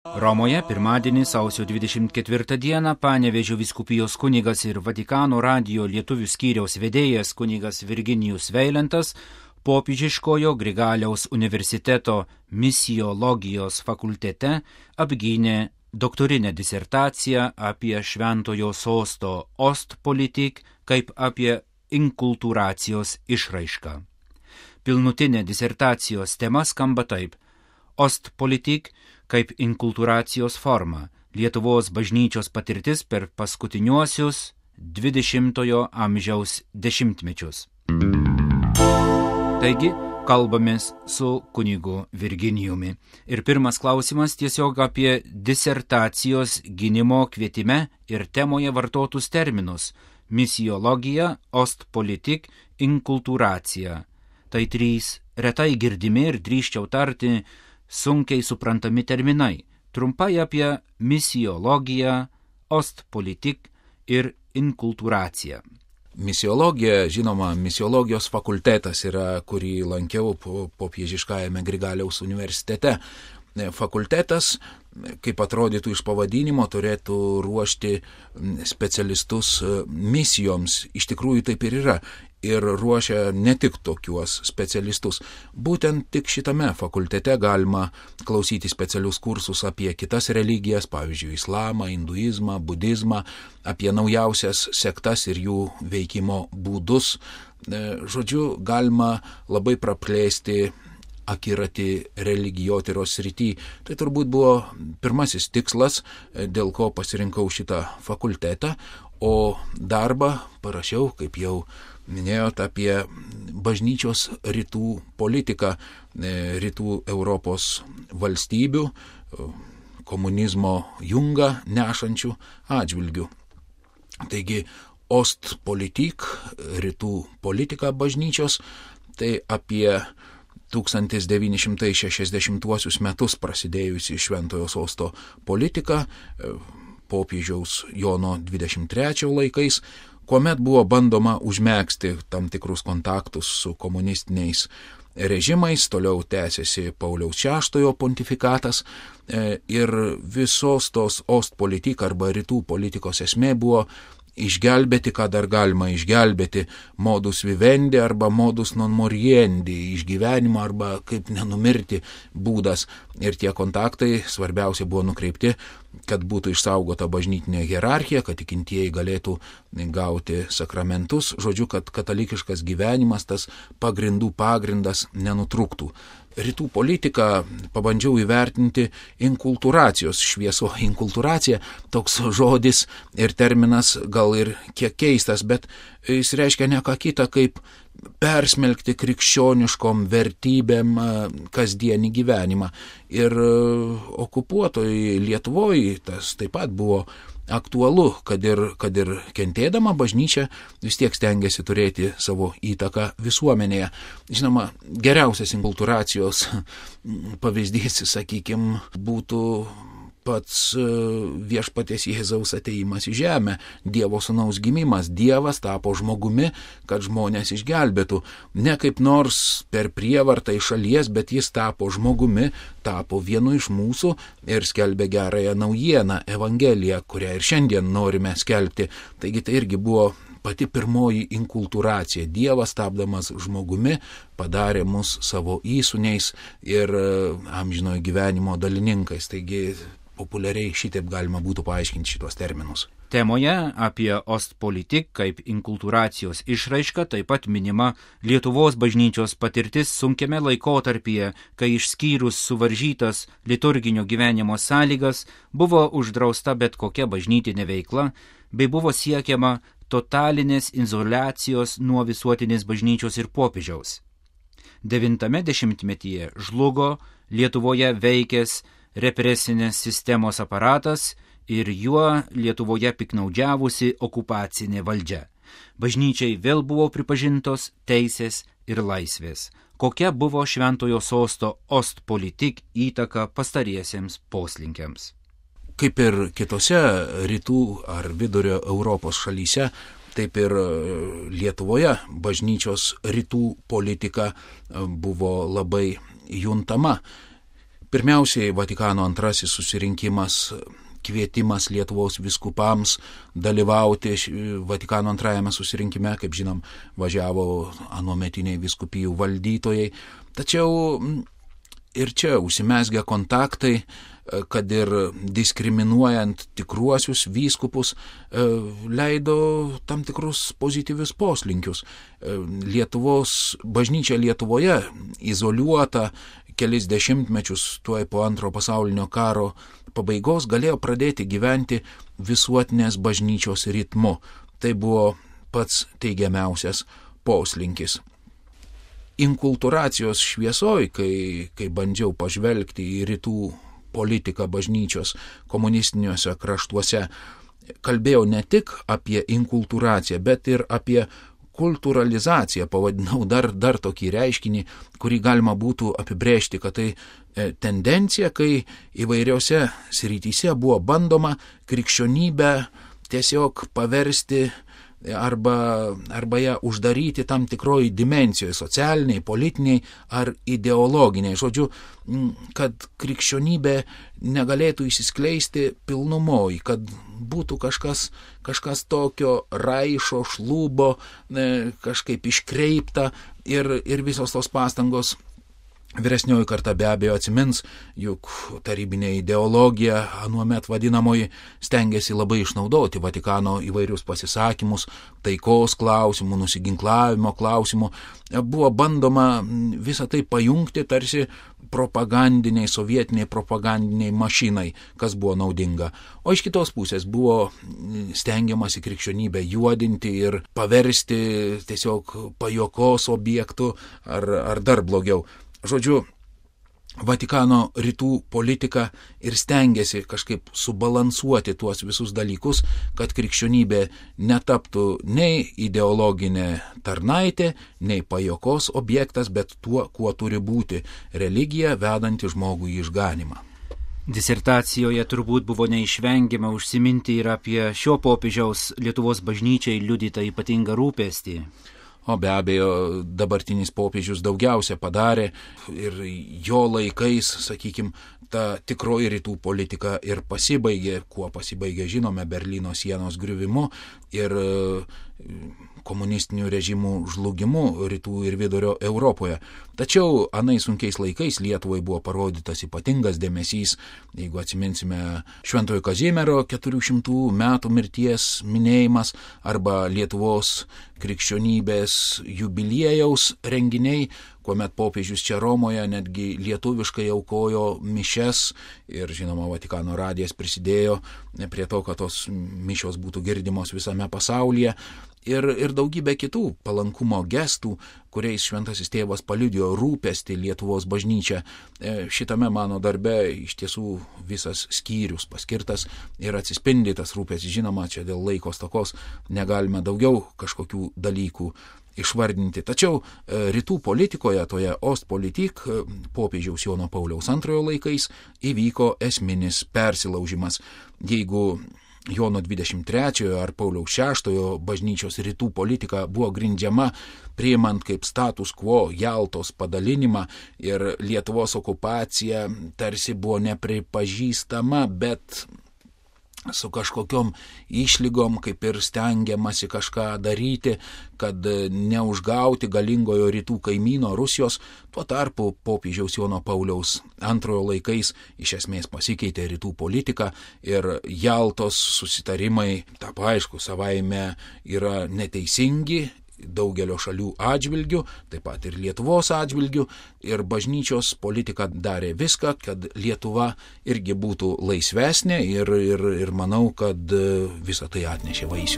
Romoje pirmadienį sausio 24 dieną Panevėžio vyskupijos kunigas ir Vatikano radijo lietuvių skyriaus vedėjas kunigas Virginijus Veilentas Popiežiškojo Grigaliaus universiteto misiologijos fakultete apgynė doktorinę disertaciją apie Šventojo sosto Ostpolitik kaip apie inkultūracijos išraišką. Pilnutinė disertacijos tema skamba taip: Ostpolitik kaip inkultūracijos forma – Lietuvos bažnyčios patirtis per paskutiniuosius 20-ojo amžiaus dešimtmečius. Taigi, kalbamės su kunigu Virginijumi. Ir pirmas klausimas tiesiog apie disertacijos gynimo kvietime ir temoje vartotus terminus – misiologija, ostpolitik, inkultūracija. Tai trys retai girdimi ir drįsčiau tarti sunkiai suprantami terminai. Trumpai apie misiologiją, ostpolitik ir inkultūraciją. Misiologija, žinoma, misiologijos fakultetas yra, kurį lankiau Popiežiškajame Grigaliaus universitete. Fakultetas, kaip atrodytų iš pavadinimo, turėtų ruošti specialistus misijoms. Iš tikrųjų taip ir yra. Ir ruošia ne tik tokiuos specialistus. Būtent tik šitame fakultete galima klausyti specialius kursus apie kitas religijas, pavyzdžiui, islamą, hinduizmą, budizmą, apie naujausias sektas ir jų veikimo būdus. Žodžiu, galima labai praplėsti akiratį religijotyros srity. Tai turbūt buvo pirmasis tikslas, dėl ko pasirinkau šitą fakultetą, o darbą parašiau, kaip jau minėjot, apie bažnyčios rytų politiką, rytų Europos valstybių, komunizmo jungą nešančių atžvilgių. Taigi, ostpolitik, rytų politika bažnyčios, tai apie 1960 metus prasidėjusi Šventojo sosto politika, popiežiaus Jono 23 laikais, kuomet buvo bandoma užmegzti tam tikrus kontaktus su komunistiniais režimais, toliau tęsiasi Pauliaus VI pontifikatas ir visos tos ostpolitik arba rytų politikos esmė buvo išgelbėti, ką dar galima išgelbėti, modus vivendi arba modus non moriendi, išgyvenimo arba kaip nenumirti būdas. Ir tie kontaktai svarbiausia buvo nukreipti, kad būtų išsaugota bažnytinė hierarchija, kad tikintieji galėtų gauti sakramentus, žodžiu, kad katalikiškas gyvenimas, tas pagrindų pagrindas nenutrūktų. Rytų politiką pabandžiau įvertinti inkultūracijos švieso. Inkultūracija, toks žodis ir terminas gal ir kiek keistas, bet jis reiškia ne ką kitą kaip persmelkti krikščioniškom vertybėm kasdienį gyvenimą. Ir okupuotoj Lietuvoje tas taip pat buvo aktualu, kad ir kentėdama bažnyčia vis tiek stengiasi turėti savo įtaką visuomenėje. Žinoma, geriausias inkultūracijos pavyzdys, sakykime, būtų pats viešpaties Jėzaus atėjimas į žemę, Dievo sūnaus gimimas. Dievas tapo žmogumi, kad žmonės išgelbėtų. Ne kaip nors per prievartą iš šalies, bet jis tapo žmogumi, tapo vienu iš mūsų ir skelbė gerąją naujieną, Evangeliją, kurią ir šiandien norime skelbti. Taigi tai irgi buvo pati pirmoji inkultūracija. Dievas, tapdamas žmogumi, padarė mus savo įsūniais ir amžinojo gyvenimo dalininkais. Taigi populiariai šitaip galima būtų paaiškinti šitos terminus. Temoje apie ostpolitik kaip inkultūracijos išraišką taip pat minima Lietuvos bažnyčios patirtis sunkiame laikotarpyje, kai išskyrus suvaržytas liturginio gyvenimo sąlygas buvo uždrausta bet kokia bažnytinė veikla, bei buvo siekiama totalinės izoliacijos nuo visuotinės bažnyčios ir popiežiaus. 9 dešimtmetyje žlugo Lietuvoje veikęs represinės sistemos aparatas ir juo Lietuvoje piknaudžiavusi okupacinė valdžia. Bažnyčiai vėl buvo pripažintos teisės ir laisvės. Kokia buvo Šventojo sosto ostpolitik įtaka pastariesiems poslinkiams? Kaip ir kitose rytų ar vidurio Europos šalyse, taip ir Lietuvoje bažnyčios rytų politika buvo labai juntama. Pirmiausiai Vatikano antrasis susirinkimas, kvietimas Lietuvos vyskupams dalyvauti Vatikano antrajame susirinkime, kaip žinom, važiavo anuometiniai vyskupijų valdytojai. Tačiau ir čia užsimezgė kontaktai, kad ir diskriminuojant tikruosius vyskupus, leido tam tikrus pozityvius poslinkius. Lietuvos bažnyčia Lietuvoje, izoliuota kelis dešimtmečius tuoj po Antrojo pasaulinio karo pabaigos, galėjo pradėti gyventi visuotinės bažnyčios ritmu. Tai buvo pats teigiamiausias poslinkis. Inkulturacijos šviesoj, kai bandžiau pažvelgti į rytų politiką bažnyčios komunistiniuose kraštuose, kalbėjau ne tik apie inkulturaciją, bet ir apie kulturalizaciją, pavadinau dar tokį reiškinį, kurį galima būtų apibrėžti, kad tai tendencija, kai įvairiose srityse buvo bandoma krikščionybę tiesiog paversti arba ją uždaryti tam tikroji dimensijoje, socialiniai, politiniai ar ideologiniai. Žodžiu, kad krikščionybė negalėtų išsiskleisti pilnumoj, kad būtų kažkas tokio raišo, šlubo, kažkaip iškreipta ir visos tos pastangos. Vyresnioji karta be abejo atsimins, juk tarybinė ideologija anuomet vadinamoji stengiasi labai išnaudoti Vatikano įvairius pasisakymus, taikos klausimų, nusiginklavimo klausimų. Buvo bandoma visą tai pajungti tarsi propagandiniai, sovietiniai propagandiniai mašinai, kas buvo naudinga. O iš kitos pusės buvo stengiamasi krikščionybę juodinti ir paversti tiesiog pajokos objektu ar dar blogiau. Žodžiu, Vatikano rytų politika ir stengiasi kažkaip subalansuoti tuos visus dalykus, kad krikščionybė netaptų nei ideologinė tarnaitė, nei pajokos objektas, bet tuo, kuo turi būti religija, vedanti žmogų į išganymą. Disertacijoje turbūt buvo neišvengiama užsiminti ir apie šio popiežiaus Lietuvos bažnyčiai liudytą ypatingą rūpestį. O be abejo, dabartinis popiežius daugiausia padarė ir jo laikais, sakykime, ta tikroji rytų politika ir pasibaigė, kuo pasibaigė, žinome, Berlyno sienos griuvimu ir komunistinių režimų žlugimu rytų ir vidurio Europoje. Tačiau anais sunkiais laikais Lietuvai buvo parodytas ypatingas dėmesys, jeigu atsiminsime Šventojo Kazimiero 400 metų mirties minėjimas arba Lietuvos krikščionybės jubiliejaus renginiai, kuomet popiežius čia Romoje netgi lietuviškai aukojo mišias ir, žinoma, Vatikano radijas prisidėjo prie to, kad tos mišios būtų girdimos visame pasaulyje. Ir daugybė kitų palankumo gestų, kuriais šventasis tėvas paliudijo rūpestį Lietuvos bažnyčią. Šitame mano darbe iš tiesų visas skyrius paskirtas ir atsispindytas rūpestis. Žinoma, čia dėl laiko stokos negalime daugiau kažkokių dalykų išvardinti. Tačiau rytų politikoje, toje Ostpolitik, popiežiaus Jono Pauliaus II laikais įvyko esminis persilaužimas. Jeigu Jono 23 ar Pauliaus VI bažnyčios rytų politika buvo grindžiama priimant kaip status quo Jaltos padalinimą ir Lietuvos okupacija tarsi buvo nepripažįstama, bet su kažkokiom išlygom, kaip ir stengiamasi kažką daryti, kad neužgauti galingojo rytų kaimyno Rusijos. Tuo tarpu popiežiaus Jono Pauliaus II laikais iš esmės pasikeitė rytų politika ir Jaltos susitarimai, tapo aišku, savaime yra neteisingi daugelio šalių atžvilgių, taip pat ir Lietuvos atžvilgių, ir bažnyčios politika darė viską, kad Lietuva irgi būtų laisvesnė ir manau, kad visą tai atnešė vaisių.